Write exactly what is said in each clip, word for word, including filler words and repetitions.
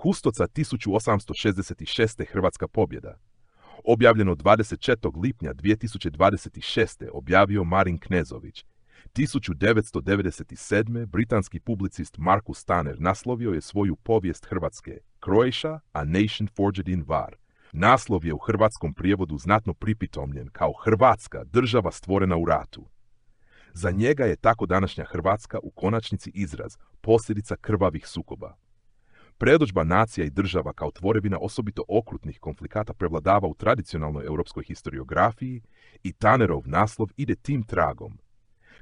Kustoca tisuću osamsto šezdeset šeste. Hrvatska pobjeda. Objavljeno dvadeset četvrtog lipnja dvije tisuće dvadeset šeste. objavio Marin Knezović. tisuću devetsto devedeset sedme. britanski publicist Markus Tanner naslovio je svoju povijest Hrvatske Croatia, a nation forged in war. Naslov je u hrvatskom prijevodu znatno pripitomljen kao Hrvatska, država stvorena u ratu. Za njega je tako današnja Hrvatska u konačnici izraz, posljedica krvavih sukoba. Predodžba nacija i država kao tvorevina osobito okrutnih konflikata prevladava u tradicionalnoj europskoj historiografiji i Tannerov naslov ide tim tragom.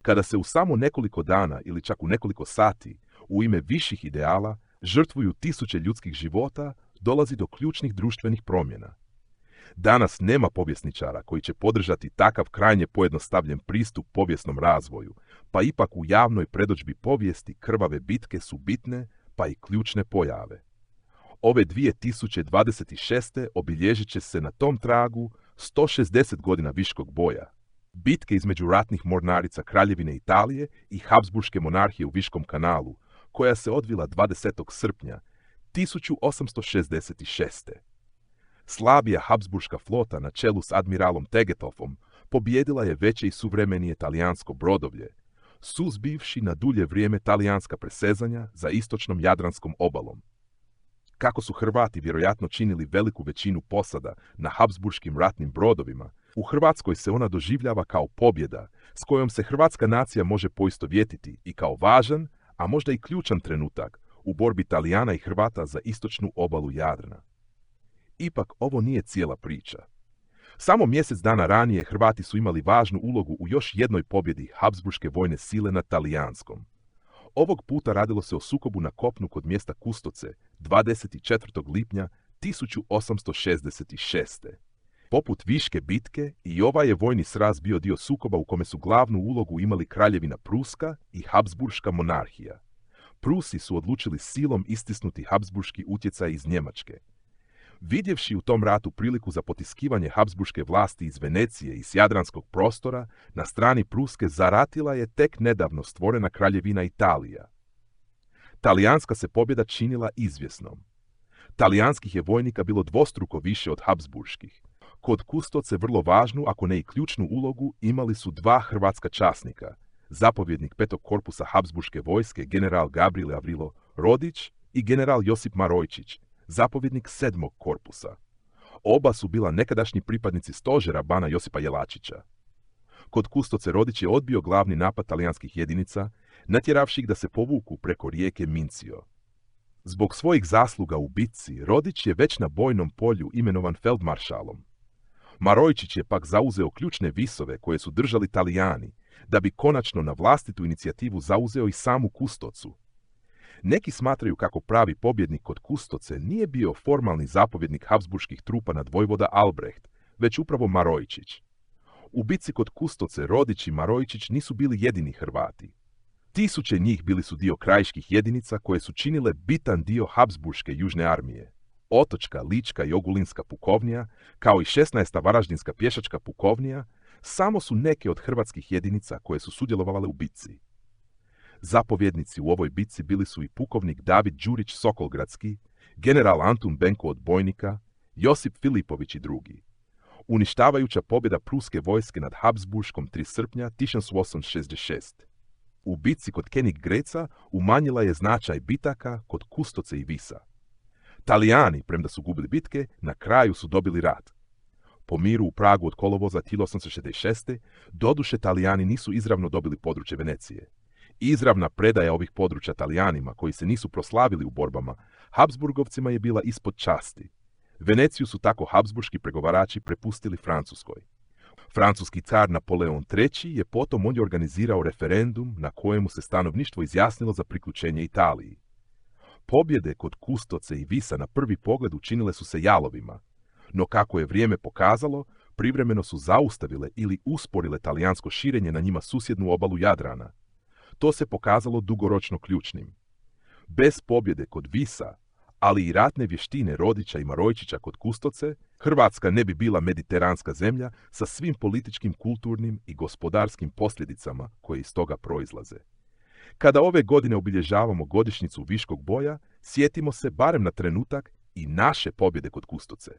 Kada se u samo nekoliko dana ili čak u nekoliko sati u ime viših ideala žrtvuju tisuće ljudskih života, dolazi do ključnih društvenih promjena. Danas nema povjesničara koji će podržati takav krajnje pojednostavljen pristup povijesnom razvoju, pa ipak u javnoj predodžbi povijesti krvave bitke su bitne, pa i ključne pojave. Ove dvije tisuće dvadeset šeste. obilježit će se na tom tragu sto šezdeset godina viškog boja, bitke između ratnih mornarica Kraljevine Italije i Habsburške monarhije u Viškom kanalu, koja se odvila dvadesetog srpnja tisuću osamsto šezdeset šeste. Slabija Habsburška flota na čelu s admiralom Tegethoffom pobijedila je veće i suvremenije talijansko brodovlje, suzbivši na dulje vrijeme talijanska presezanja za istočnom Jadranskom obalom. Kako su Hrvati vjerojatno činili veliku većinu posada na Habsburškim ratnim brodovima, u Hrvatskoj se ona doživljava kao pobjeda s kojom se hrvatska nacija može poistovjetiti i kao važan, a možda i ključan trenutak u borbi Talijana i Hrvata za istočnu obalu Jadrana. Ipak ovo nije cijela priča. Samo mjesec dana ranije Hrvati su imali važnu ulogu u još jednoj pobjedi Habsburške vojne sile nad Talijanskom. Ovog puta radilo se o sukobu na kopnu kod mjesta Kustoce dvadeset četvrtog lipnja tisuću osamsto šezdeset šeste. Poput Viške bitke, i ovaj je vojni sraz bio dio sukoba u kome su glavnu ulogu imali Kraljevina Pruska i Habsburška monarhija. Prusi su odlučili silom istisnuti Habsburški utjecaj iz Njemačke. Vidjevši u tom ratu priliku za potiskivanje Habsburške vlasti iz Venecije i s jadranskog prostora, na strani Pruske zaratila je tek nedavno stvorena Kraljevina Italija. Talijanska se pobjeda činila izvjesnom. Talijanskih je vojnika bilo dvostruko više od Habsburških. Kod Kustoce vrlo važnu, ako ne i ključnu ulogu, imali su dva hrvatska časnika, zapovjednik petog korpusa Habsburške vojske general Gabriel Avrilo Rodić i general Josip Marojčić, zapovjednik sedmog korpusa. Oba su bila nekadašnji pripadnici stožera bana Josipa Jelačića. Kod Kustoce Rodić je odbio glavni napad talijanskih jedinica, natjeravši ih da se povuku preko rijeke Mincio. Zbog svojih zasluga u bitci, Rodić je već na bojnom polju imenovan feldmaršalom. Marojčić je pak zauzeo ključne visove koje su držali Talijani, da bi konačno na vlastitu inicijativu zauzeo i samu Kustocu. Neki smatraju kako pravi pobjednik kod Kustoce nije bio formalni zapovjednik Habsburških trupa nad vojvoda Albrecht, već upravo Marojčić. U bitci kod Kustoce Rodić i Marojčić nisu bili jedini Hrvati. Tisuće njih bili su dio krajiških jedinica koje su činile bitan dio Habsburške južne armije. Otočka, Lička i Ogulinska pukovnija, kao i šesnaesta Varaždinska pješačka pukovnija, samo su neke od hrvatskih jedinica koje su sudjelovale u bitci. Zapovjednici u ovoj bitci bili su i pukovnik David Đurić Sokolgradski, general Antun Benko od Bojnika, Josip Filipović i drugi. Uništavajuća pobjeda pruske vojske nad Habsburškom tri srpnja tisuću osamsto šezdeset šeste. U bitci kod Königgrätza umanjila je značaj bitaka kod Kustoce i Visa. Talijani, premda su gubili bitke, na kraju su dobili rat. Po miru u Pragu od kolovoza tisuću osamsto šezdeset šeste. doduše Talijani nisu izravno dobili područje Venecije. Izravna predaja ovih područja Talijanima, koji se nisu proslavili u borbama, Habsburgovcima je bila ispod časti. Veneciju su tako habsburški pregovarači prepustili Francuskoj. Francuski car Napoleon treći je potom ondje organizirao referendum na kojemu se stanovništvo izjasnilo za priključenje Italiji. Pobjede kod Kustoce i Visa na prvi pogled učinile su se jalovima, no kako je vrijeme pokazalo, privremeno su zaustavile ili usporile talijansko širenje na njima susjednu obalu Jadrana. To se pokazalo dugoročno ključnim. Bez pobjede kod Visa, ali i ratne vještine Rodića i Marojčića kod Kustoce, Hrvatska ne bi bila mediteranska zemlja sa svim političkim, kulturnim i gospodarskim posljedicama koje iz toga proizlaze. Kada ove godine obilježavamo godišnjicu Viškog boja, sjetimo se barem na trenutak i naše pobjede kod Kustoce.